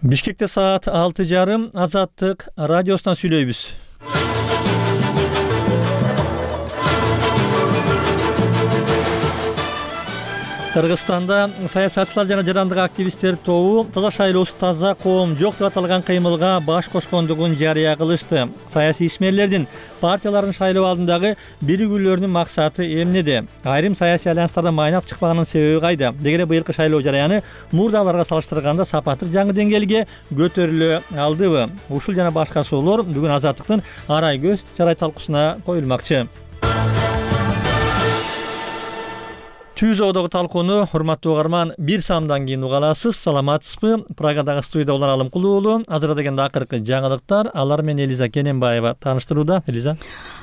Бишкекте саат 6:30 Азаттык радиосунан сүйлөйбүз. Кыргызстанда саясатчылар жана жарандык активисттер тобу таза шайлоосуз таза коом жок деп аталган кыймылга баш кошкондугун жарыя кылышты. Саясий ишмерлердин партиялардын шайлоо алдындагы биригүүлөрүнүн максаты эмнеде? Айрым саясий альянстарда майнап чыкпаганын себеби кайда? Дегеле быйылкы шайлоо жараяны мурдаларга салыштырганда сапаттык жаңы деңгээлге көтөрүлө алдыбы? Ушул жана башка суроолор бүгүн Азаттыктын арай көз чарай талкуусуна коюлмакчы. Түзөөдөгү талкууну урматтуу угарман бир самдан кийин уга аласыз. Саламатсызбы? Прагадагы студияда Улан Алымкулуу уулу. Азырда дегенде акыркы жаңылыктар. Алар менен Элиза Кененбаева тааныштырууда. Элиза.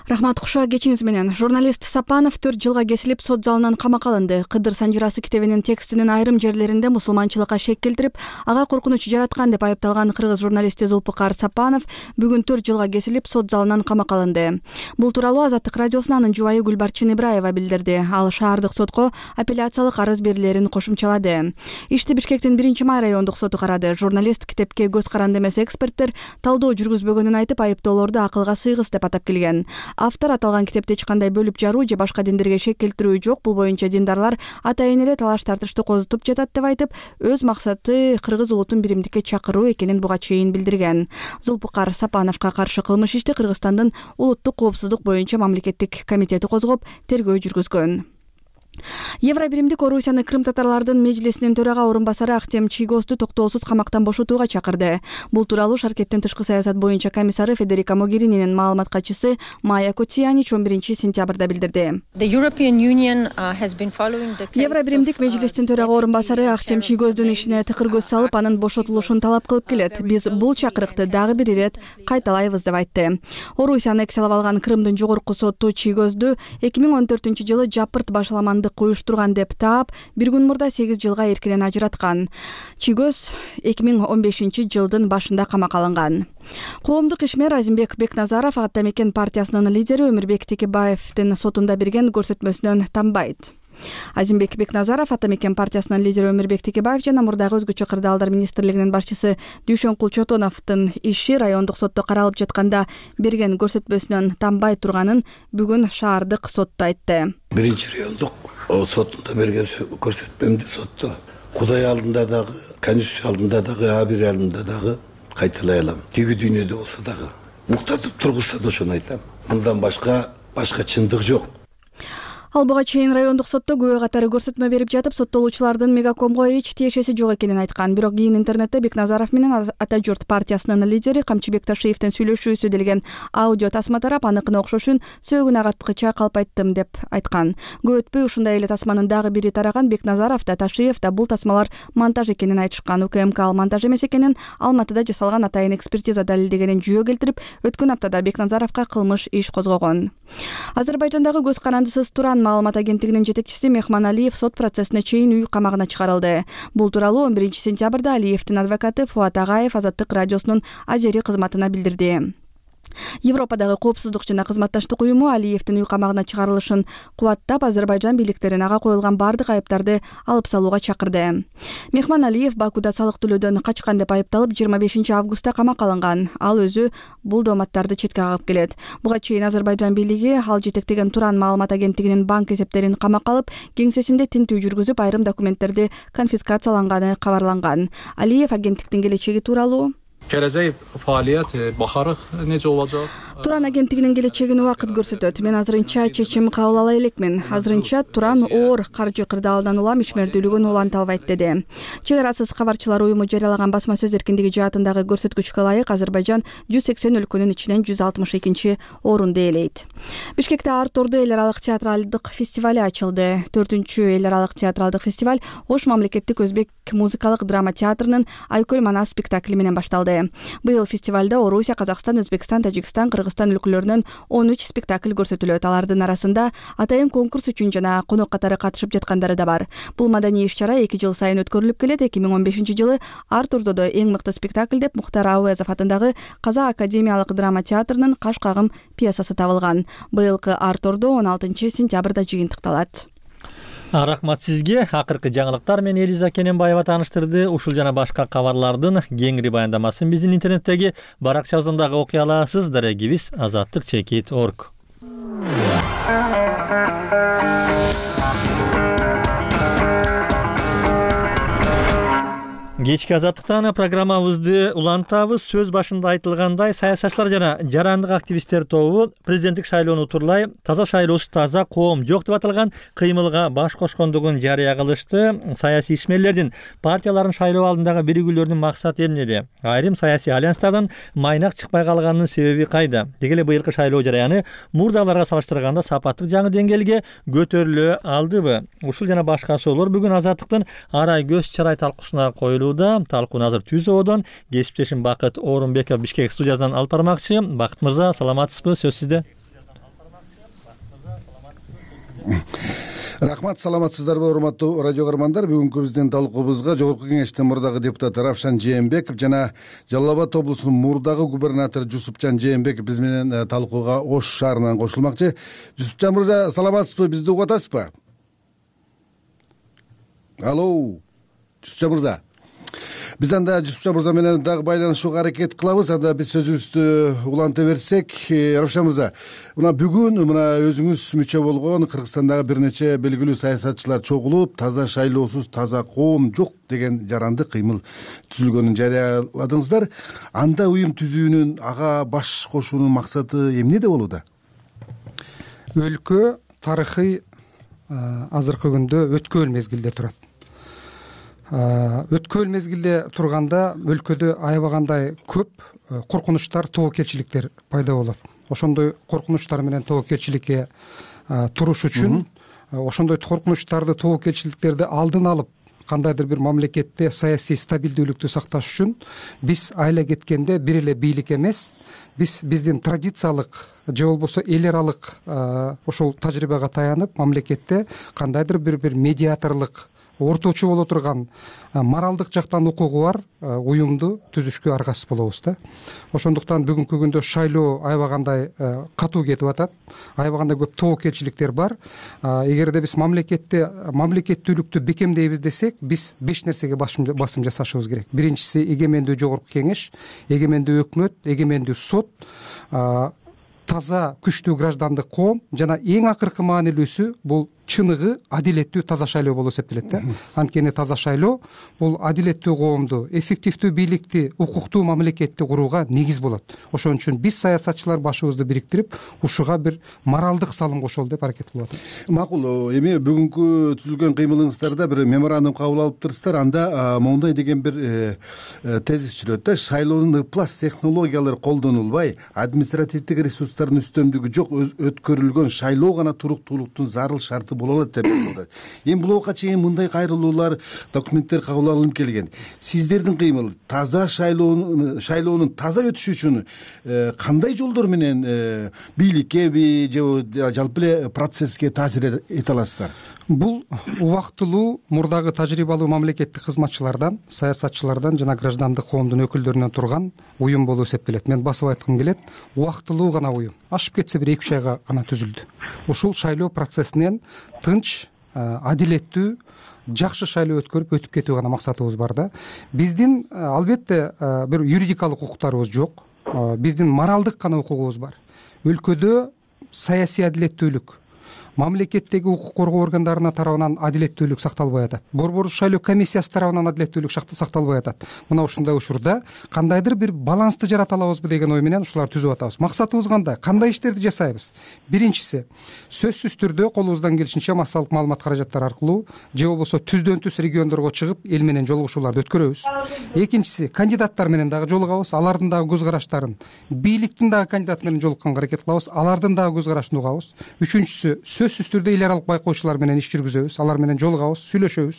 Рахмат, куш кечиңиз менен. Журналист Сапанов 4 жылга кесилип сот залынан камакка алынды. Кыдыр Санжырасы китебинин текстинин айрым жерлеринде мусулманчылыкка шек келтирип, ага коркунуч жараткан деп айыпталган кыргыз журналисти Зулпукар Сапанов бүгүн 4 жылга кесилип сот залынан камакка алынды. Бул тууралуу Азаттык радиосунун анын жубайы Гүлбарчын Ибраева билдирди. Ал шаардык сотко апелляциялык арыз берилерин кошумчалады. Ишти Бишкектин 1-май райондук соту карады. Журналист китепке көз каранды эмес эксперттер талдоо жүргүзбөгөнүн айтып, айыптоолорду акылга сыйгыс деп атап келген. Автор аталган китепте эч кандай бөлүп жаруу же башка диндерге шек келтирүү жок. Бул боюнча диндарлар атайын эле талаш тартышты козутуп жатат деп айтып, өз максаты кыргыз улутун биримдикке чакыруу экенин буга чейин билдирген. Зулпукар Сапановго каршы кылмыш ишти Кыргызстандын улуттук коопсуздук боюнча мамлекеттик комитети козгоп, тергөө жүргүзгөн. Евробиримдик Орусияны Крым татарлардын межлисинин төрага орун басары Ахтем Чийгозду токтоосуз камактан бошотууга чакырды. Бул тууралуу Шаркеттин тышкы саясат боюнча комиссары Федерика Могерининин маалымат катчысы Майя Котиянич 11-сентябрда билдирди. Евробиримдик межлистин төрага орун басары Ахтем Чийгоздун ишине тыкыр көз салып, анын бошотулушун талап кылып келет. Биз бул чакырыкты дагы бир ирет кайталайбыз деп айтты. Орусия аннексиялап алган Крымдын жогорку соту Чийгозду 2014-жылы жапырт башаламандык уюштурган деп таап, бир күн мурда 8 жылга эркинен ажыраткан. Чийгоз 2015-жылдын башында камакка алынган. Коомдук ишмер Азимбек Бекназаров Ата Мекен партиясынын лидери Өмүрбек Текебаевдин сотунда берген көрсөтмөсүнөн танбайт. Азимбек Бекназаров Ата Мекен партиясынын лидери Өмүрбек Текебаев жана мурдагы өзгөчө кырдаалдар министрлигинин башчысы Дүйшөнкул Чотоновдун иши райондук сотто каралып жатканда берген көрсөтмөсүнөн танбай турганын бүгүн шаардык сотто айтты. Биринчи райондук сотунда берген көрсөтмөмдү сотто Кудай алдында дагы, Конституция алдында дагы, Абир алдында дагы кайталай алам. Тиги дүйнөдө болсо дагы муктатып тургузса да ошону айтам. Мындан башка чындык жок. Ал буга чейин райондук сотто күбө катары көрсөтмө берип жатып, соттолуучулардын Мегакомго эч тиешеси жок экенин айткан. Бирок кийин интернетте Бекназаров менен Ата журт партиясынын лидери Камчыбек Ташиевдин сүйлөшүүсү делген аудио тасма тарап, аныкына окшошун сөөгүн агарткыча калпайттым деп айткан. Көп өтпөй ушундай эле тасманын дагы бири тараган. Бекназаров да Ташиев да бул тасмалар монтаж экенин айтышкан. УКМК ал монтаж эмес экенин, Алматыда жасалган атайын экспертиза далилдегенин жүйө келтирип, өткөн аптада Бекназаровго кылмыш иш козгогон. Азербайжандагы көз карандысыз Туран маалымат агенттигинин жетекчиси Мехман Алиев сот процессине чейин үй камагына чыгарылды. Бул тууралуу 11-сентябрда Алиевдин адвокаты Фуат Агаев Азаттык радиосунун Ажери кызматына билдирди. Европадагы коопсуздук жана кызматташтык уюму Алиевдин үй камагына чыгарылышын кубаттап, Азербайжан бийликтерин ага коюлган бардык айыптарды алып салууга чакырды. Мехман Алиев Бакуда салык төлөөдөн качкан деп айыпталып 25-августта камакка алынган. Ал өзү бул дооматтарды четке кагып келет. Буга чейин Азербайжан бийлиги ал жетектеген Туран маалымат агенттигинин банк эсептерин камакка алып, кеңсесинде тинтүү жүргүзүп, айрым документтерди конфискацияланганы кабарланган. Алиев агенттиктин келечеги тууралуу Келечек фаалият бакарык нече болажак? Туран агенттигинин келечегин убакыт көрсөтөт. Мен азырынча чечим кабыл ала элекмин. Азырынча Туран оор каржы кырдаалдан улам ишмердүүлүгүн уланта албайт деди. Чек арасыз кабарчылар уюму жарыялаган басма сөз эркиндиги жаатындагы көрсөткүчкө ылайык Азербайжан 180 өлкөнүн ичинен 162-орунду ээлейт. Бишкекте Артурду эл аралык театралдык фестивали ачылды. 4-эл аралык театралдык фестиваль Ош мамлекеттик өзбек музыкалык драма театрынын Айкөл Манас спектакли менен башталды. Быйыл фестивалда Орусия, Казакстан, Өзбекстан, Тажикстан, Кыргызстан өлкөлөрүнөн 13 спектакль көрсөтүлөт. Алардын арасында атайын конкурс үчүн жана конок катары катышып жаткандары да бар. Бул маданий иш-чара 2 жыл сайын өткөрүлүп келет. 2015-жылы Артурдо эң мыкты спектакль деп Мухтар Ауезов атындагы Казак академиялык драма театрынын Каш кагым пьесасы табылган. Быйылкы Артурдо 16-сентябрда жыйынтыкталат. Рахмат сизге. Акыркы жаңылыктар менен Элиза Кененбаева тааныштырды. Ушул жана башка кабарлардын кеңири баяндамасын биздин интернеттеги баракчабыздан дагы окуй аласыз. Дарегибиз azatlyk.org. Кечки азаттыктан программабызды улантабыз. Сөз башында айтылгандай, саясатчылар жана жарандык активисттер тобу президенттик шайлоону утурлай таза шайлоосуз таза коом жок деп аталган кыймылга баш кошкондугун жарыя кылышты. Саясий ишмерлердин партияларын шайлоо алдындагы биригүүлөрүнүн максаты эмнеде? Айрым саясий альянстардан майнак чыкпай калганынын себеби кайда? Деги эле быйылкы шайлоо жараяны мурдагыларга салыштырганда сапаттык жаңы деңгээлге көтөрүлө алдыбы? Ушул жана башка суроолор бүгүн Азаттыктын арай көз чарай талкуусуна коюлууда. Талкууну азыр Түз Оодон кесиптешим Бакыт Орунбеков Бишкек студиясынан алып бармакчы. Бакыт мырза, саламатсызбы? Сөз сизде. Рахмат, саламатсыздарбы урматтуу радио көрөрмандар? Бүгүнкү биздин талкуубузга Жогорку Кеңештин мурдагы депутаты Равшан Жээнбеков жана Жалал Абад облусунун мурдагы губернатору Жусупжан Жээнбеков биз менен талкууга Ош шаарынан кошулмакчы. Жусупжан мырза, саламатсызбы? Бизди угуп атасызбы? Алло, Жусупжан мырза. Биз анда Жусупжан мырза менен дагы байланышууга аракет кылабыз. Анда биз сөзүбүздү уланта берсек, Равшан мырза, мына бүгүн өзүңүз мүчө болгон Кыргызстандагы бир нече белгилүү саясатчылар чогулуп, таза шайлоосуз таза коом жок деген жаранды кыймыл түзүлгөнүн жарыяладыңыздар. Анда уюм түзүүнүн, ага баш кошуунун максаты эмнеде болууда? Өлкө тарыхый азыркы күндө өткөөл мезгилде турат. Өткөөл мезгилде турганда өлкөдө аябагандай көп коркунучтар, тобокелчиликтер пайда болот. Ошондой коркунучтар менен тобокелчиликке туруш үчүн, ошондой коркунучтарды, тобокелчиликтерди алдын алып, кандайдыр бир мамлекетте саясий стабилдүүлүктү сакташ үчүн биз айла кеткенде бир эле бийлик эмес, биздин традициялык же болбосо эл аралык ошол тажрыйбага таянып, мамлекетте кандайдыр бир медиаторлук, орточу боло турган моралдык жактан укугу бар уюмду түзүшкө аргасыз болобуз да. Ошондуктан бүгүнкү күндө шайлоо аябагандай катуу кетип атат, аябагандай көп тобокелчиликтер бар. Эгерде биз мамлекеттүүлүктү бекемдейбиз десек, биз 5 нерсеге басым жасашыбыз керек. Биринчиси эгемендүү жогорку кеңеш, эгемендүү өкмөт, эгемендүү сот, таза күчтүү граждандык коом жана эң акыркы маанилүүсү бул чыныгы адилеттүү таза шайлоо болуп эсептелет да. Анткени таза шайлоо бул адилеттүү коомду, эффективдүү бийликти, укуктуу мамлекетти курууга негиз болот. Ошон үчүн биз саясатчылар башыбызды бириктирип, ушуга бир моралдык салым кошолу деп аракет кылып атабыз. Макул, эми бүгүнкү түзүлгөн кыймылыңыздарда бир меморандум кабыл алыптырсыздар. Анда моундай деген бир тезис жүрөт да: шайлоонун ыплас технологиялары колдонулбай, административдик ресурстардын үстөмдүгү жок өткөрүлгөн шайлоо гана туруктуулуктун зарыл шарты боло алат деп айтылат. Эми бул убакка чейин мындай кайрылуулар, документтер кабыл алынып келген. Сиздердин кыймыл таза шайлоонун таза өтүшү үчүн кандай жолдор менен бийликкеби же жалпы эле процесске таасир эте аласыздар? Бул убактылуу мурдагы тажрыйбалуу мамлекеттик кызматчылардан, саясатчылардан жана граждандык коомдун өкүлдөрүнөн турган уюм болуп эсептелет. Мен басып айткым келет, убактылуу гана уюм. Ашып кетсе бир 2-3 айга гана түзүлдү. Ушул шайлоо процессинен тынч, адилеттүү, жакшы шайлоо өтүп кетүү гана максатыбыз бар да. Биздин албетте бир юридикалык укуктарыбыз жок. Биздин моралдык гана укугубуз бар. Өлкөдө саясий адилеттүүлүк, мамлекеттеги укук коргоо органдарына тарабынан адилеттүүлүк сакталбай атат. Борбордук шайлоо комиссиясы тарабынан адилеттүүлүк сакталбай атат. Мына ушундай учурда кандайдыр бир балансты жарата алабызбы деген ой менен ушуларды түзүп атабыз. Максатыбыз кандай? Кандай иштерди жасайбыз? Биринчиси, сөзсүз түрдө колубуздан келишинче массалык маалымат каражаттары аркылуу же болбосо түздөн түз региондорго чыгып, эл менен жолугушууларды өткөрөбүз. Экинчиси, кандидаттар менен дагы жолугабыз, алардын дагы көз караштарын, бийликтин дагы кандидаты менен жолукканга аракет кылабыз, алардын дагы көз карашын угабыз. Үчүнчүсү, сөзсүз түрдө эл аралык байкоочулар менен иш жүргүзөбүз, алар менен жолугабыз, сүйлөшөбүз.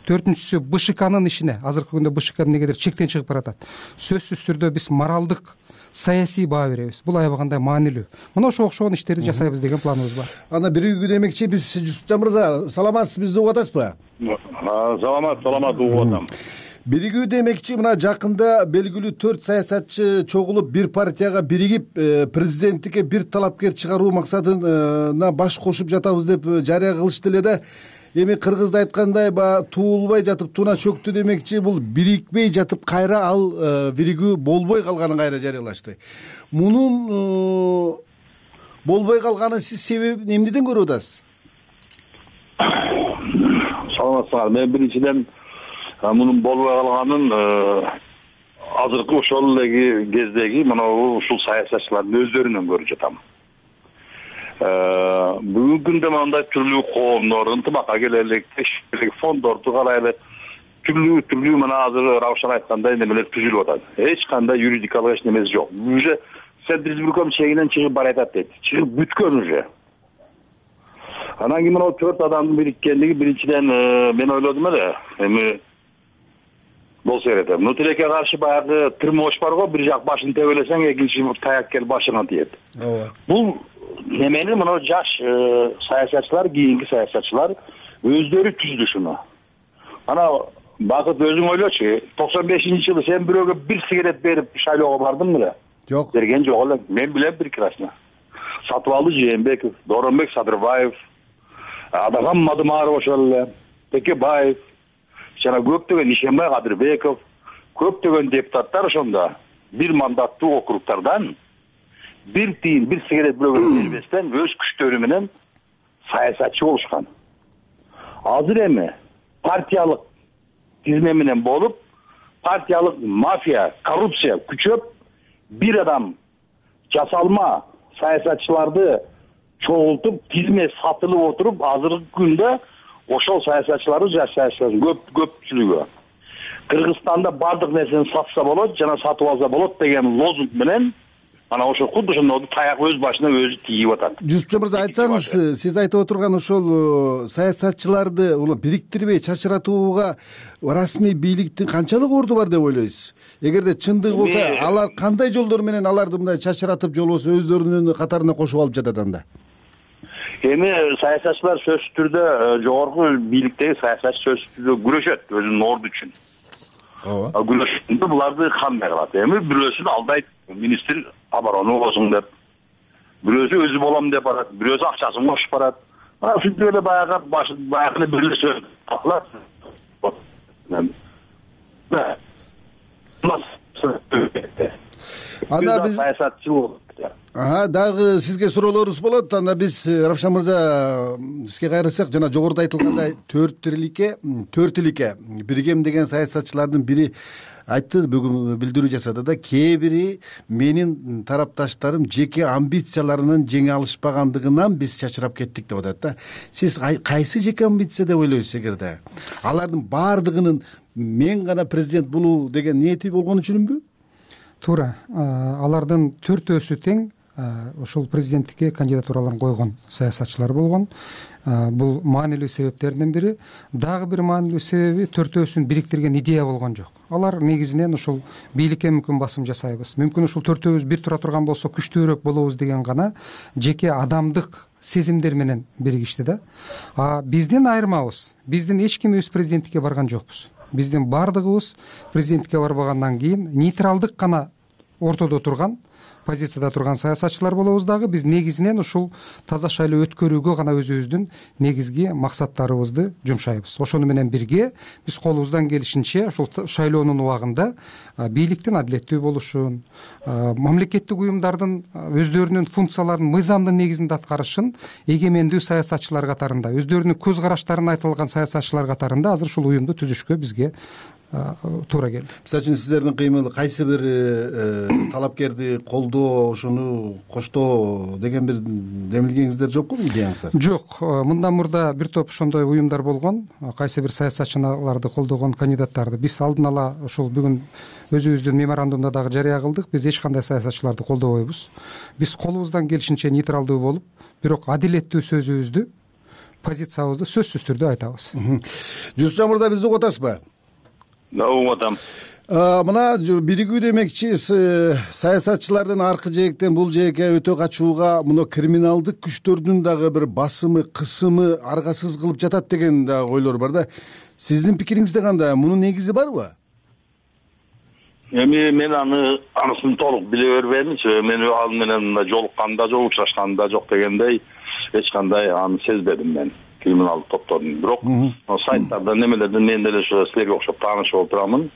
Төртүнчүсү, БШКнын ишине, азыркы күндө БШК эмнегедир чектен чыгып баратат. Сөзсүз түрдө биз моралдык, саясий баа беребиз. Бул аябагандай маанилүү. Мына ошого окшогон иштерди жасайбыз деген планыбыз бар. Анда биригүү демекчи, биз Жусупжан мырза, саламатсыз, бизди угуп атасызбы? Саламат угуп атам. Биригүү демекчи, мына жакында белгилүү 4 саясатчы чогулуп бир партияга биригип президенттикке бир талапкер чыгаруу максатына баш кошуп жатабыз деп жарыя кылышты эле да. эми кыргызда айткандай баягы туулбай жатып туна чөктү демекчи, бул бирикпей жатып кайра ал биригүү болбой калганын кайра жарыялашты. Мунун болбой калганын сиз себебин эмнеден көрүп атасыз? Саламатсыңар. Мен биринчиден мунун болбой калганын азыркы ошол эле кездеги ушул саясатчылардын өздөрүнөн көрүп жатам. Бүгүнкү күндө мындай түрлүү коомдор ынтымакка келелик, фондорду карайлы, түрлүү мына азыр Раушан айткандай немелер түзүлүп атат. Эч кандай юридикалык эч немеси жок. Уже Центризбирком чегинен чыгып баратат дейт. Чыгып бүткөн уже. Анан кийин мына 4 адамдын бириккендиги биринчиден мен ойлодум эле. Эми болсо керек. Тилекке каршы баягы тырмош бар го, бир жак башын тебелесең, экинчи таяк кел башыңа тиет. Бул немени мына жаш саясатчылар, кийинки саясатчылар өздөрү түздү шуну. Ана Бакыт өзүң ойлочу, 95-жылы сен бирөөгө бир сигарет берип шайлоого бардың беле? Жок. Берген жок эле. Мен билем прекрасно. Сатыбалды Жээнбеков, Дооронбек Садырбаев, Адаган Мадымаров ошол эле, Текебаев, жана көптөгөн Ишембай Кадырбеков, көптөгөн депутаттар ошондо бир мандаттуу округдардан бир тиын, бир сигарет бирөөгө бербестен өз күчтөрү менен саясатчы болушкан. Азыр эми партиялык тизме менен болуп, партиялык мафия, коррупция күчөп, бир адам жасалма саясатчыларды чогултуп, тизме сатылып отуруп, азыркы күндө ошол саясатчыларды жаш саясатчылар көпчүлүгү Кыргызстанда бардык нерсени сатса болот, жана сатып алса болот деген лозунг менен ана ошо кудду ошондо таяк өз башына өзү тийип атат. Жусупжан мырза, айтсаңыз, сиз айтып отурган ошол саясатчыларды бириктирбей чачыратууга расмий бийликтин канчалык орду бар деп ойлойсуз? Эгерде чындыгы болсо, алар кандай жолдор менен аларды мындай чачыратып, же болбосо өздөрүнүн катарына кошуп алып жатат анда? Эми саясатчылар сөзсүз түрдө жогорку бийликтеги саясатчы сөзсүз түрдө күрөшөт өзүнүн орду үчүн. Ооба. Күрөшөндө буларды кандай кылат? Эми бирөөсүн алдайт, министр обороны болсун деп. Бирөөсү өзү болом деп барат, бирөөсү акчасын кошуп барат. Ушинтип эле баягы бирлешип калат. Анда биз саясатчы болот. Дагы сизге суроолорубуз болот. Анда биз Равшан мырза сизге кайрылсак, жана жогоруда айтылгандай 4 тиликке биригем деген саясатчылардын бири айтты, бүгүн билдирүү жасады да, кээ бири менин тарапташтарым жеке амбицияларынан жеңе алышпагандыгынан биз чачырап кеттик деп атат да. Сиз кайсы жеке амбиция деп ойлойсуз? Эгерде алардын баардыгынын мен гана президент болуу деген ниети болгон үчүнбү? Туура. Алардын 4-өсү тең ошол президенттикке кандидатураларын койгон саясатчылар болгон. Бул маанилүү себептердин бири. Дагы бир маанилүү себеби 4-өсүн бириктирген идея болгон жок. Алар негизинен ошол бийликке мүмкүн басым жасайбыз, мүмкүн ушул 4-өбүз бир тура турган болсо күчтүүрөөк болобуз деген гана жеке адамдык сезимдер менен биригишти да. Биздин айырмабыз, биздин эч ким өз президенттикке барган жокпуз. Биздин баардыгыбыз президенттикке барбагандан кийин нейтралдык гана ортодо турган, позицияда турган саясатчылар болобуз. Дагы биз негизинен ушул таза шайлоо өткөрүүгө гана өзүбүздүн негизги максаттарыбызды жумшайбыз. Ошону менен бирге биз колубуздан келишинче ушул шайлоонун убагында бийликтин адилеттүү болушун, мамлекеттик уюмдардын өздөрүнүн функцияларын мыйзамдын негизинде аткарышын эгемендүү саясатчылар катарында, өздөрүнүн көз караштарын айтылган саясатчылар катарында азыр ушул уюмду түзүшкө бизге туура келди. Мисалы үчүн сиздердин кыймыл кайсы бир талапкерди колдоо, ошону коштоо деген бир демилгеңиздер жокпу, идеяңыздар? Жок. Мындан мурда бир топ ошондой уюмдар болгон, кайсы бир саясатчыларды колдогон кандидаттарды биз алдын ала ошол бүгүн өзүбүздүн меморандумда дагы жарыя кылдык. Биз эч кандай саясатчыларды колдобойбуз. Биз колубуздан келишинче нейтралдуу болуп, бирок адилеттүү сөзүбүздү, позициябызды сөзсүз түрдө айтабыз. Жусупжан мырза, бизди угуп атасызбы? Угутам. Мына биригүү демекчи саясатчылардын аркы жээктен бул жээкке өтө качууга мына криминалдык күчтөрдүн дагы бир басымы, кысымы аргасыз кылып жатат деген дагы ойлор бар да. Сиздин пикириңизде кандай? Мунун негизи барбы? Эми мен анысын толук биле бербейминчи. Мен ал менен жолукканда жок, учурашканда жок дегендей эч кандай аны сезбедим мен. криминалдык топтордун. Бирок сайттардан немелерден мен деле ошо силерге окшоп таанышып болуп турамын.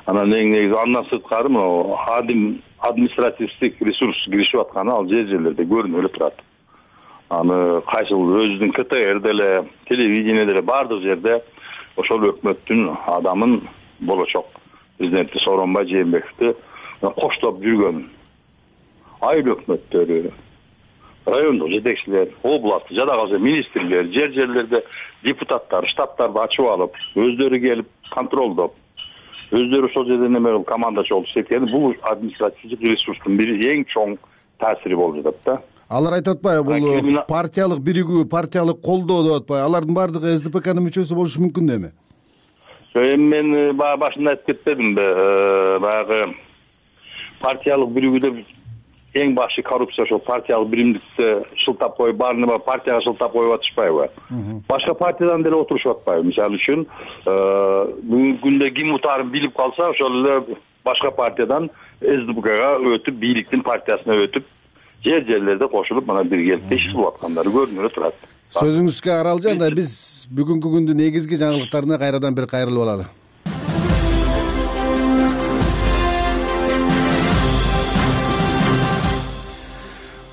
Анан негизи андан сырткары мына административдик ресурс киришип атканы ал жерлерде көрүнүп эле турат. Аны кайсыл өзүнүн КТР деле, телевидение деле бардык жерде ошол өкмөттүн адамын болочок президенти Сооронбай Жээнбековду коштоп жүргөн айыл өкмөттөрү, райондук жетекчилер, областтык жада калса министрлер, жерлерде депутаттар, штабтарды ачып алып, өздөрү келип контролдоп, өздөрү ошол жерде неме кылып командачы болуп иштеткени бул административдик ресурстун бири эң чоң таасири болуп жатат да. Алар айтып атпайбы, бул партиялык биригүү, партиялык колдоо деп атпайбы? Алардын баардыгы СДПКнын мүчөсү болушу мүмкүн деме? Эми мен башында айтып кетпедимби? Баягы партиялык биригүүдө эң башы коррупция ошол партиялык биримдикти шылтап коюп, баарын партияга шылтап коюп атышпайбы? Башка партиядан деле отурушуп атпайбы? Мисалы үчүн, бүгүнкү күндө ким утаарын билип калса, ошол эле башка партиядан СДПКга өтүп, бийликтин партиясына өтүп, жерлерде кошулуп, мына биргеликте иш кылып аткандары көрүнүп эле турат. Сөзүңүзгө Аралжан, анда биз бүгүнкү күндүн негизги жаңылыктарына кайрадан бир кайрылып алалы.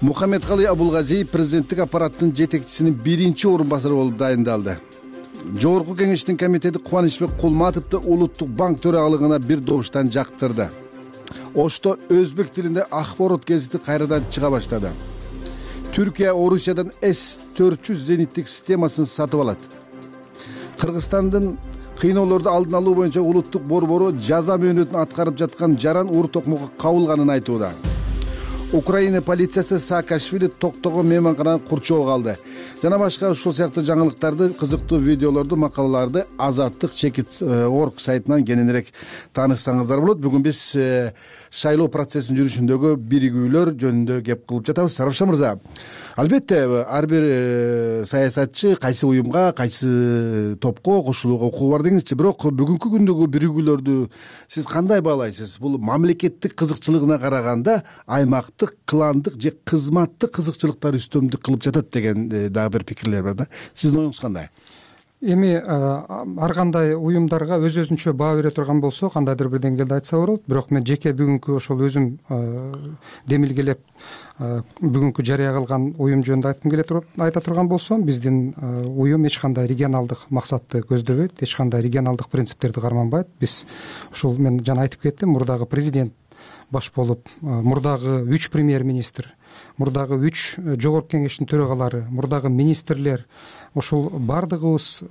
Мухаммедкали Абулгазиев президенттик аппараттын жетекчисинин биринчи орун басары болуп дайындалды. Жогорку кеңештин комитети Кубанычбек Кулматовду улуттук банк төрагалыгына бир добуштан жактырды. Ошто өзбек тилинде Акборот гезити кайрадан чыга баштады. Түркия Орусиядан С-400 зениттик системасын сатып алат. Кыргызстандын кыйноолорду алдын алуу боюнча улуттук борбору жаза мөөнөтүн аткарып жаткан жаран Ур Токмокко кабылганын айтууда. Украина полициясы Саакашвили токтогон мейманкананы курчоого алды. Жана башка ушул сыяктуу жаңылыктарды, кызыктуу видеолорду, макалаларды Азаттык Чекит.org сайтынан кененирээк таанышсаңыздар болот. Бүгүн биз шайлоо процессинин жүрүшүндөгү биригүүлөр жөнүндө кеп кылып жатабыз. Сарапша мырза, албетте ар бир саясатчы кайсы уюмга, кайсы топко кошулууга укугу бар деңизчи. Бирок бүгүнкү күндөгү биригүүлөрдү сиз кандай баалайсыз? Бул мамлекеттик кызыкчылыгына караганда аймактык, кландык же кызматтык кызыкчылыктар үстөмдүк кылып жатат деген дагы бир пикирлер бар да. Сиздин оюңуз кандай? Эми ар кандай уюмдарга өз-өзүнчө баа бере турган болсо, кандайдыр бир деңгээлде айтса болот. Бирок мен жеке бүгүнкү ошол өзүм демилгелеп бүгүнкү жарыя кылган уюм жөнүндө айта турган болсом, биздин уюм эч кандай регионалдык максатты көздөбөйт, эч кандай регионалдык принциптерди карманбайт. Биз ушул мен жана айтып кеттим, мурдагы президент баш болуп, мурдагы 3 премьер-министр, мурдагы 3 жогорку кеңештин төрагалары, мурдагы министрлер, ошол бардыгыбыз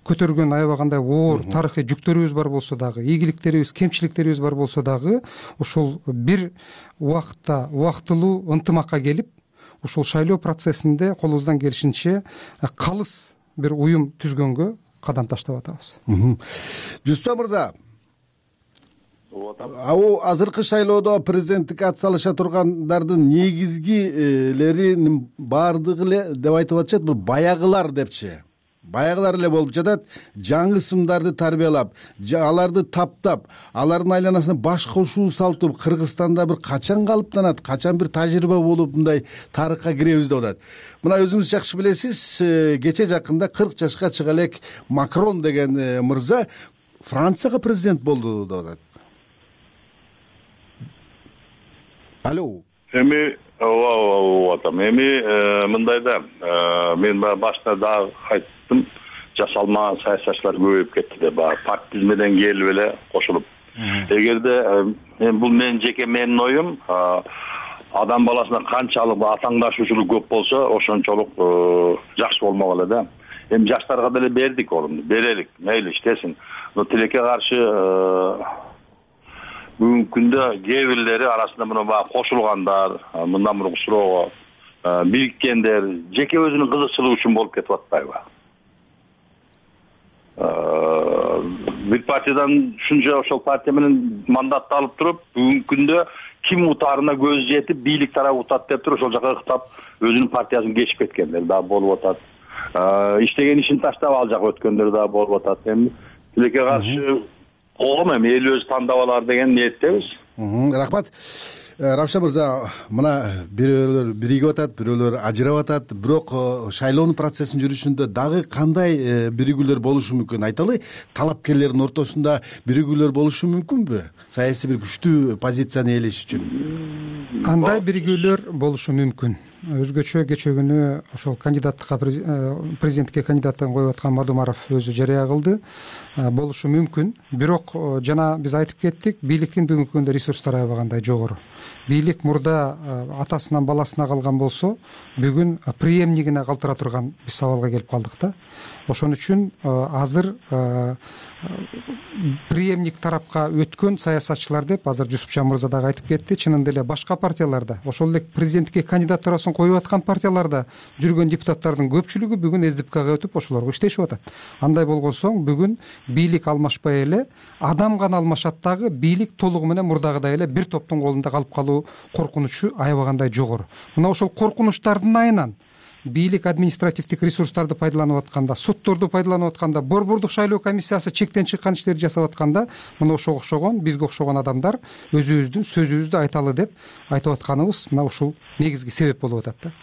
көтөргөн аябагандай оор тарыхый жүктөрүбүз бар болсо дагы, ийгиликтерибиз, кемчиликтерибиз бар болсо дагы, ушул бир убакытта убактылуу ынтымакка келип, ушул шайлоо процессинде колубуздан келишинче калыс бир уюм түзгөнгө кадам таштап атабыз. Жусупжан мырза, азыркы шайлоодо президенттикке ат салыша тургандардын негизгилеринин баардыгы эле деп айтып атышат, бул баягылар депчи. Баягылар эле болуп жатат, жаңы сымдарды тарбиялап, аларды таптап, алардын айланасына баш кошуу салту Кыргызстанда бир качан калыптанат, качан бир тажрыйба болуп мындай тарыхка киребиз деп атат. Мына өзүңүз жакшы билесиз, кече жакында 40 жашка чыга элек Макрон деген мырза Францияга президент болду деп атат. Алло. Эми мындайда мен башта дагы айттым, жасалма саясатчылар көбөйүп кетти деп, партизмеден келип эле кошулуп. Эгерде бул менин оюм, адам баласына канчалык атаңдашуучулук көп болсо, ошончолук жакшы болмок эле да. Эми жаштарга деле бердик орунду, берелик, мейли иштесин. Но тилекке каршы бүгүнкү күндө кээ бирлери арасында мына баягы кошулгандар, мындан мурунку суроого бириккендер жеке өзүнүн кызыкчылыгы үчүн болуп кетип атпайбы? Бир партиядан ушунча ошол партия менен мандатты алып туруп, бүгүнкү күндө ким утаарына көз жетип, бийлик тарабы утат деп туруп, ошол жака ыктап өзүнүн партиясын кечип кеткендер дагы болуп атат. Иштеген ишин таштап ал жака өткөндөр дагы болуп атат. Эми тилекке каршы коом эми эл өзү тандап алар деген ниеттебиз. Рахмат. Равшан мырза, мына бирөөлөр биригип атат, бирөөлөр ажырап атат, бирок шайлоонун процессин жүрүшүндө дагы кандай биригүүлөр болушу мүмкүн? Айталы, талапкерлердин ортосунда биригүүлөр болушу мүмкүнбү? Саясий бир күчтүү позицияны ээлеш үчүн. Андай биригүүлөр болушу мүмкүн. Өзгөчө кечээ күнү ошол кандидаттыкка президенттикке кандидаттыгын коюп аткан Мадумаров өзү жарыя кылды. Болушу мүмкүн. Бирок жана биз айтып кеттик, бийликтин бүгүнкү күндө ресурстары аябагандай жогору. Бийлик мурда атасынан баласына калган болсо, бүгүн преемнигине калтыра турган биз сабалга келип калдык да. Ошон үчүн азыр преемник тарапка өткөн саясатчылар деп азыр Жусупжан мырза дагы айтып кетти. Чынында эле башка партияларда, ошол эле президенттикке кандидатурасын коюп аткан партияларда жүргөн депутаттардын көпчүлүгү бүгүн СДПКга өтүп ошолорго иштешип атат. Андай болгон соң бүгүн бийлик алмашпай эле адам гана алмашат дагы, бийлик толугу менен мурдагыдай эле бир топтун колунда калып калуу коркунучу аябагандай жогору. Мына ошол коркунучтардын айынан бийлик административдик ресурстарды пайдаланып атканда, сотторду пайдаланып атканда, борбордук шайлоо комиссиясы чектен чыккан иштерди жасап атканда, мына ошого окшогон, бизге окшогон адамдар өзүбүздүн сөзүбүздү айталы деп айтып атканыбыз мына ушул негизги себеп болуп атат да.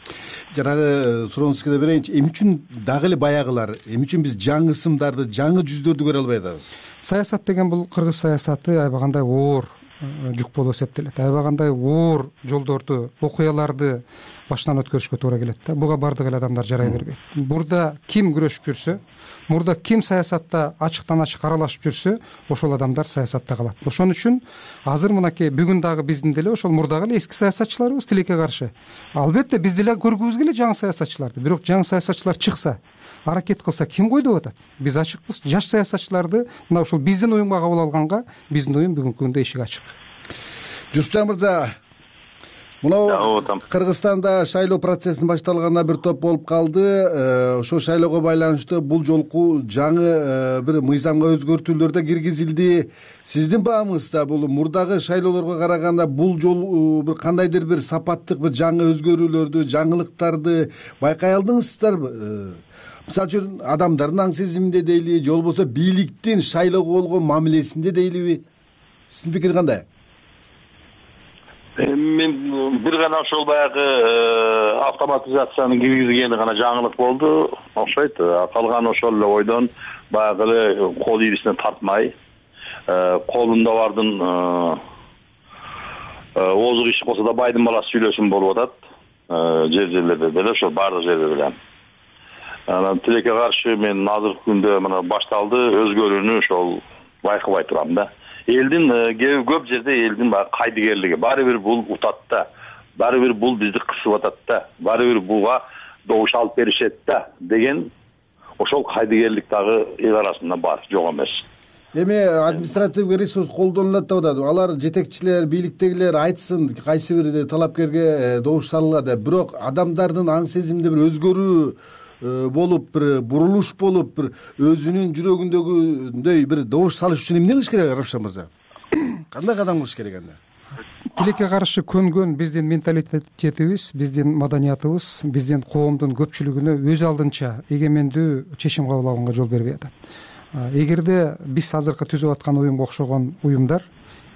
Жанагы сурооңузду да берейинчи, эмне үчүн дагы эле баягылар, эмне үчүн биз жаңы ысымдарды, жаңы жүздөрдү көрө албай атабыз? Саясат деген бул кыргыз саясаты аябагандай оор жүк болуп эсептелет. Аябагандай оор жолдорду, окуяларды башынан өткөрүшкө туура келет да. Буга бардык эле адамдар жарай бербейт. Мурда ким күрөшүп жүрсө, мурда ким саясатта ачыктан ачык аралашып жүрсө, ошол адамдар саясатта калат. Ошон үчүн азыр мынакей бүгүн дагы биздин деле ошол мурдагы эле эски саясатчыларыбыз тилекке каршы. Албетте биз деле көргүбүз келет жаңы саясатчыларды. Бирок жаңы саясатчылар чыкса, аракет кылса ким койду деп атат? Биз ачыкпыз. Жаш саясатчыларды мына ушул биздин уюмга кабыл алганга биздин уюм бүгүнкү күндө эшик ачык. Жусупжан мырза, мына Кыргызстанда шайлоо процессинин башталганына бир топ болуп калды. Ошол шайлоого байланыштуу бул жолку жаңы бир мыйзамга өзгөртүүлөр да киргизилди. Сиздин баамыңызда бул мурдагы шайлоолорго караганда бул жолу бир кандайдыр бир сапаттык бир жаңы өзгөрүүлөрдү, жаңылыктарды байкай алдыңыздарбы? Мисалы үчүн адамдардын аң сезиминде дейли, же болбосо бийликтин шайлоого болгон мамилесинде дейливи? Сиздин пикир кандай? Мен бир гана ошол баягы автоматизациянын киргизилгени гана жаңылык болду, окшойт. Калган ошол эле ойдон баягы эле кол ийрисине тартмай, колунда бардын озук иш болсо да байдын баласы сүйлөсүн болуп атат. Жерлерде деле ошол бардык жерде деле. Анан тилекке каршы мен азыркы күндө мына башталды, өзгөрүүнү ошол байкабай турам да. Элдин көп жерде элдин баягы кайдыгерлиги баары бир бул утат да. Баары бир бул бизди кысып атат да. Баары бир буга добуш алып беришет да деген ошол кайдыгерлик дагы эл арасында бар, жок эмес. Эми административдик ресурс колдонулат деп атат. Алар жетекчилер, бийликтегилер айтсын, кайсы бир талапкерге добуш салгыла деп. Бирок адамдардын аң сезиминде бир өзгөрүү болуп, бир бурулуш болуп, бир өзүнүн жүрөгүндөгүндөй бир добуш салыш үчүн эмне кылыш керек, Равшан мырза? Кандай кадам кылыш керек анда? Тилекке каршы көнгөн биздин менталитетибиз, биздин маданиятыбыз, биздин коомдун көпчүлүгүнө өз алдынча эгемендүү чечим кабыл алганга жол бербей атат. Эгерде биз азыркы түзүп аткан уюмга окшогон уюмдар,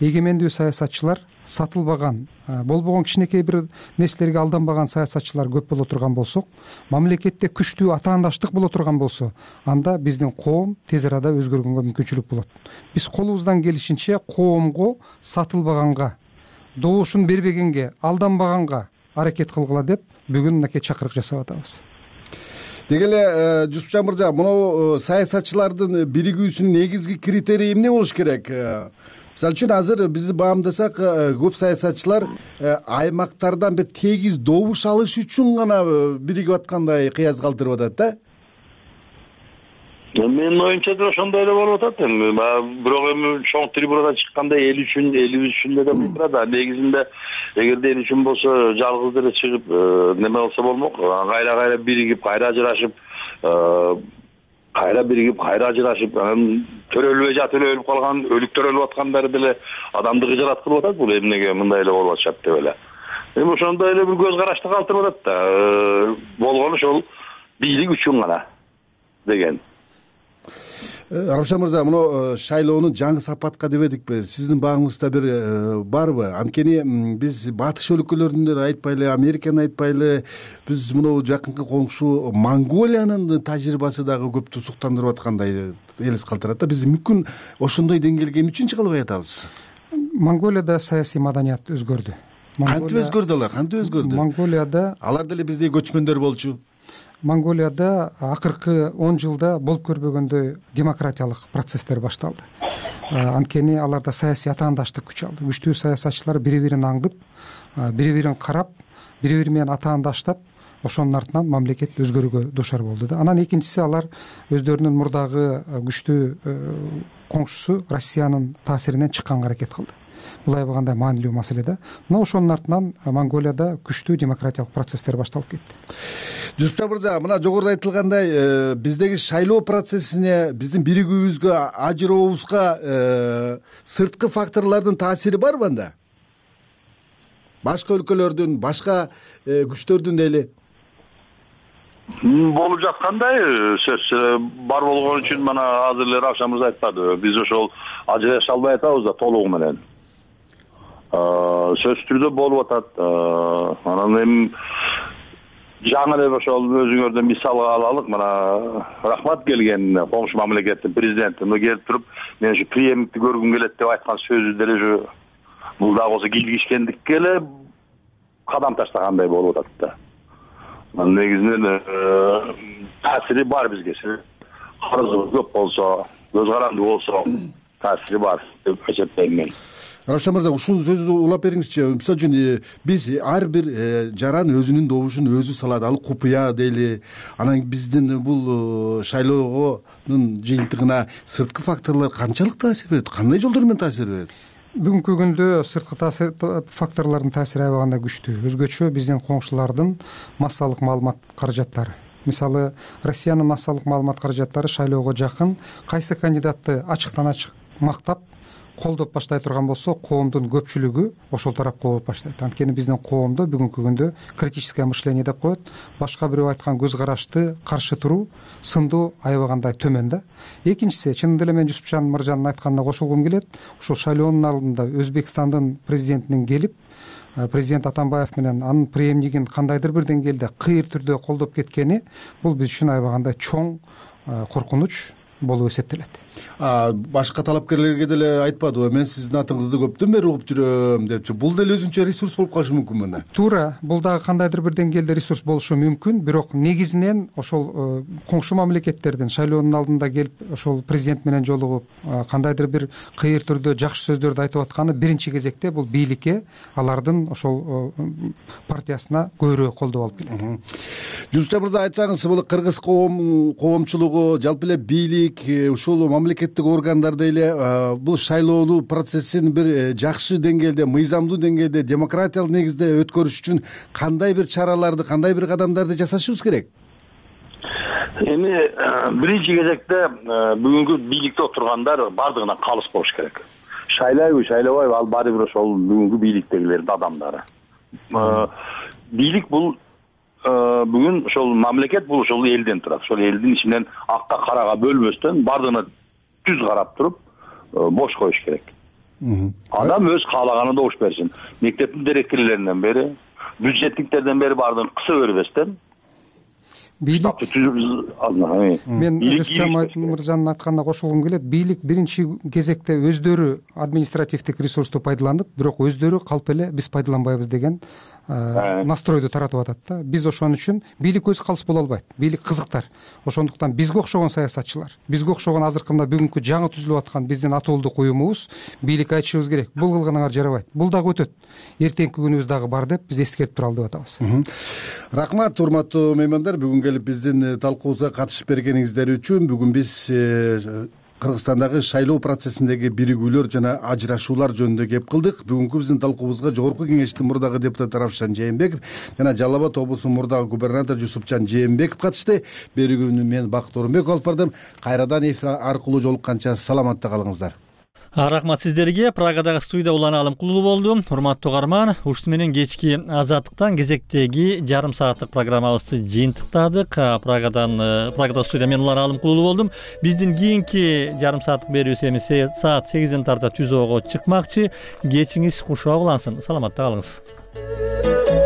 эгемендүү саясатчылар, сатылбаган, болбогон кичинекей бир нерселерге алданбаган саясатчылар көп боло турган болсок, мамлекетте күчтүү атаандаштык боло турган болсо, анда биздин коом тез арада өзгөргөнгө мүмкүнчүлүк болот. Биз колубуздан келишинче коомго сатылбаганга, добушун бербегенге, алданбаганга аракет кылгыла деп бүгүн мынакей чакырык жасап атабыз. Деги эле Жусупжан мырза, мына саясатчылардын биригүүсүнүн негизги критерийи эмне болуш керек? Мисалы үчүн азыр бизди баамдасак, көп саясатчылар аймактардан бир тегиз добуш алыш үчүн гана биригип аткандай кыяз калтырып атат да. Менин оюмча да ошондой эле болуп атат. Бирок эми чоң трибунада чыкканда эл үчүн, элибиз үчүн да болуп турат. Негизинде эгерде эл үчүн болсо жалгыз деле чыгып неме болсо болмок. Кайра биригип, кайра ажырашып, анан төрөлбөй жатып эле өлүп калган, өлүктөр өлүп аткандары деле адамдыгы жарат кылып атат. Бул эмнеге мындай эле болуп атышат деп эле. Эми ошондой эле бир көз карашты калтырып атат да. Болгону ошол бийлик үчүн гана деген. Равшан мырза, мына шайлоону жаңы сапатка дебедикпи? Сиздин багыңызда бир барбы? Анткени биз батыш өлкөлөрүндө айтпайлы, Американы айтпайлы, биз мына жакынкы коңшу Монголиянын тажрыйбасы дагы көптү суктандырып аткандай элес калтырат да. Биз мүмкүн ошондой деңгээлге эмне чыгылбай атабыз? Монголияда саясий маданият өзгөрдү. Кантип өзгөрдү алар? Кантип өзгөрдү? Монголияда алар деле биздей көчмөндөр болчу. Монголияда акыркы 10 жылда болуп көрбөгөндөй демократиялык процесстер башталды. Анткени аларда саясий атаандаштык күч алды. Күчтүү саясатчылар бири-бирин аңдып, бири-бирин карап, бири-бири менен атаандаштап, ошонун артынан мамлекет өзгөрүүгө дуушар болду да. Анан экинчиси, алар өздөрүнүн мурдагы күчтүү коңшусу Россиянын таасиринен чыкканга аракет кылды. Бул аябагандай маанилүү маселе да. Мына ошонун артынан Монголияда күчтүү демократиялык процесстер башталып кетти. Жусуп мырза, мына жогоруда айтылгандай, биздеги шайлоо процессине, биздин биригүүбүзгө, ажырообузга сырткы факторлордун таасири барбы анда? Башка өлкөлөрдүн, башка күчтөрдүн эле болуп жаткандай сөз бар болгон үчүн мына азыр эле Равшан мырза айтпады. Биз ошол ажыраша албай атабыз да толугу менен. Сөзсүз түрдө болуп атат. Анан эми жаңы эле ошол өзүңөрдөн мисалга алалык. Мына рахмат келген коңшу мамлекеттин президенти келип туруп, мен ушу преемникти көргүм келет деп айткан сөзү деле ушу бул дагы болсо килгишкендикке эле кадам таштагандай болуп атат да. Негизинен таасири бар бизге. Карызыбыз көп болсо, көз карандуу болсо таасири бар деп эсептейм мен. Равшан мырза, ушул сөздү улап бериңизчи. Мисалы үчүн биз ар бир жаран өзүнүн добушун өзү салат, ал купуя дейли. Анан биздин бул шайлоонун жыйынтыгына сырткы факторлор канчалык таасир берет? Кандай жолдор менен таасир берет? Бүгүнкү күндө сырткы факторлордун таасири аябагандай күчтүү. Өзгөчө биздин коңшулардын массалык маалымат каражаттары. Мисалы, Россиянын массалык маалымат каражаттары шайлоого жакын кайсы кандидатты ачыктан ачык мактап, колдоп баштай турган болсо, коомдун көпчүлүгү ошол тарапка болуп баштайт. Анткени биздин коомдо бүгүнкү күндө критическое мышление деп коет. Башка бирөө айткан көз карашты каршы туруу сындуу аябагандай төмөн да. Экинчиси, чынында эле мен Жусупжан мырзанын айтканына кошулгум келет. Ушул шайлоонун алдында Өзбекстандын президентинин келип, президент Атамбаев менен анын преемнигин кандайдыр бир деңгээлде кыйыр түрдө колдоп кеткени бул биз үчүн аябагандай чоң коркунуч болуп эсептелет. Башка талапкерлерге деле айтпадыбы? Мен сиздин атыңызды көптөн бери угуп жүрөм депчи. Бул деле өзүнчө ресурс болуп калышы мүмкүн мында. Туура, бул дагы кандайдыр бир деңгээлде ресурс болушу мүмкүн, бирок негизинен ошол коңшу мамлекеттердин шайлоонун алдында келип, ошол президент менен жолугуп, кандайдыр бир кыйыр түрдө жакшы сөздөрдү айтып атканы биринчи кезекте бул бийликке, алардын ошол партиясына көбүрөөк колдоо алып келет. Жусуп мырза, айтсаңыз, бул кыргыз коомчулугу, жалпы эле бийлик, ушул мамлекеттик органдар деле бул шайлоо процессин бир жакшы деңгээлде, мыйзамдуу деңгээлде, демократиялык негизде өткөрүш үчүн кандай бир чараларды, кандай бир кадамдарды жасашыбыз керек? Эми биринчи кезекте бүгүнкү бийликте отургандар бардыгынан калыс болуш керек. Шайлайбы, шайлабайбы, ал баары бир ошол бүгүнкү бийликтегилердин адамдары. Бийлик бул бүгүн ошол мамлекет бул ошол элден турат. Ошол элдин ичинен акка карага бөлмөстөн бардыгына түз карап туруп бош коюш керек. Адам өз каалаганын добуш берсин. Мектептин директорлорунан бери, бюджетниктерден бери бардыгын кыса бербестен бийлик мен Жусупжан мырзанын айтканына кошулгум келет. Бийлик биринчи кезекте өздөрү административдик ресурсту пайдаланып, бирок өздөрү калп эле биз пайдаланбайбыз деген настройду таратып атат да. Биз ошон үчүн бийлик өзү калыс боло албайт. Бийлик кызыктар. Ошондуктан бизге окшогон саясатчылар, бизге окшогон азыркы мына бүгүнкү жаңы түзүлүп аткан биздин атуулдук уюмубуз бийликке айтышыбыз керек. Бул кылганыңар жарабайт. Бул дагы өтөт. Эртеңки күнүбүз дагы бар деп биз эскертип туралы деп атабыз. Рахмат, урматтуу меймандар, бүгүн келип биздин талкуубузга катышып бергениңиздер үчүн. Бүгүн биз Кыргызстандагы шайлоо процессиндеги биригүүлөр жана ажырашуулар жөнүндө кеп кылдык. Бүгүнкү биздин талкуубузга Жогорку Кеңештин мурдагы депутаты Равшан Жээнбеков жана Жалал Абад облусунун мурдагы губернатору Жусупжан Жээнбеков катышты. Берүүнү мен Бакыт Орунбеков алып бардым. Кайрадан эфир аркылуу жолукканча саламатта калыңыздар. Рахмат сиздерге. Прагадагы студияда Улан Алымкулуу болду. Урматтуу угарман, ушуну менен кечки Азаттыктан кезектеги жарым сааттык программабызды жыйынтыктадык. Прагада студияда мен Улан Алымкулуу болдум. Биздин кийинки жарым сааттык берүүбүз эми саат 8ден тарта түзөөгө чыкмакчы. Кечиңиз кушуа улансын. Саламатта калыңыз.